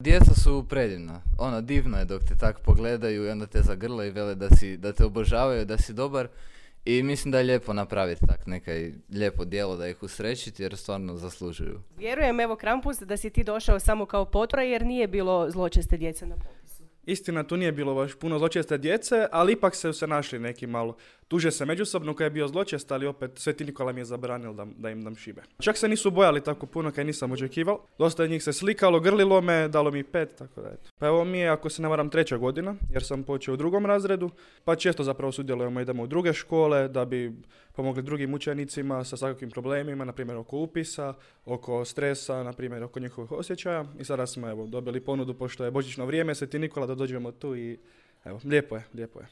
Djeca su predivna. Ono, divno je dok te tako pogledaju i onda te zagrle i vele da te obožavaju, da si dobar. I mislim da je lijepo napraviti tak nekaj lijepo djelo da ih usrećiti jer stvarno zaslužuju. Vjerujem, evo Krampus, da si ti došao samo kao potpora jer nije bilo zločeste djece na popisu. Istina, tu nije bilo baš puno zločeste djece, ali ipak se našli neki malo. Tuže se međusobno koji je bio zločest, ali opet Sveti Nikola mi je zabranio da im dam šibe. Čak se nisu bojali tako puno kaj nisam očekivao. Dosta njih se slikalo, grlilo me, dalo mi 5, tako da eto. Pa evo mi je, ako se ne varam, 3. godina, jer sam počeo u 2. razredu, pa često zapravo sudjelujemo, idemo u druge škole da bi pomogli drugim učenicima sa svakakvim problemima, na primjer oko upisa, oko stresa, na primjer oko njihovih osjećaja. I sada smo evo dobili ponudu, pošto je božićno vrijeme, Sveti Nikola, da dođemo tu i evo, lijepo je.